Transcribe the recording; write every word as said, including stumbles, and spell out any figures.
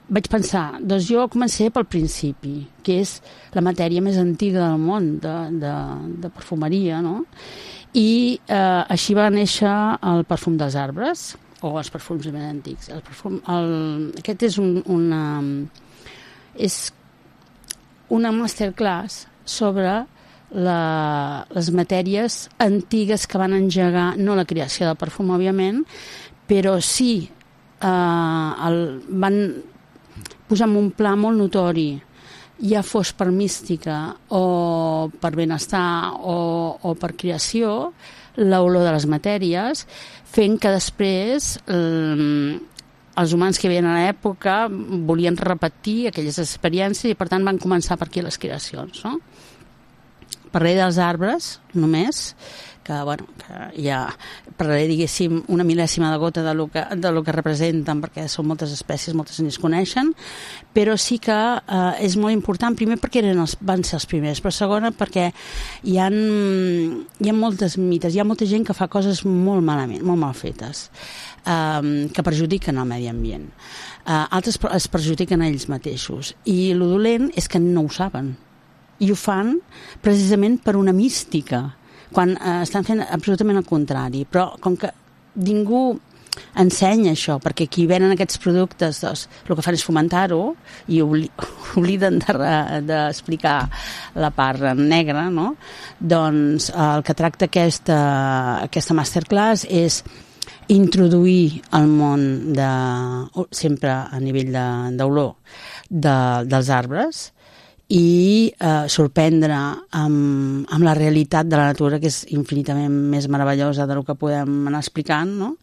vaig pensar, doncs jo començaré pel principi, que és la matèria més antiga del món de, de, de perfumeria, no? I eh, així va néixer el perfum dels arbres, o els perfums més antics. El perfum, el, aquest és un, una, és una masterclass sobre la, les matèries antigues que van engegar, no la creació del perfum, òbviament, però sí eh, el, van posar en un pla molt notori, ja fos per mística o per benestar o, o per creació, l'olor de les matèries, fent que després eh, els humans que hi havia a l'època volien repetir aquelles experiències i per tant van començar per aquí les creacions, no? Parlaré dels arbres només, que, bueno, que ja parlaré, diguéssim, una mil·lèsima de gota de lo que, de lo que representen, perquè són moltes espècies, moltes ni es coneixen, però sí que eh, és molt important, primer perquè eren els, van ser els primers, però segona perquè hi ha, hi ha moltes mites, hi ha molta gent que fa coses molt malament, molt mal fetes, eh, que perjudiquen el medi ambient. Eh, altres es perjudiquen a ells mateixos, i el dolent és que no ho saben, i ho fan precisament per una mística, quan eh, estan fent absolutament el contrari, però com que ningú ensenya això, perquè qui venen aquests productes, doncs, el que fan és fomentar-ho i obli obliden d'explicar de, la part negra, no? Doncs el que tracta aquesta, aquesta masterclass és introduir el món de, sempre a nivell d'olor de, de, dels arbres, i eh, sorprendre amb, amb la realitat de la natura, que és infinitament més meravellosa del que podem anar explicant, no?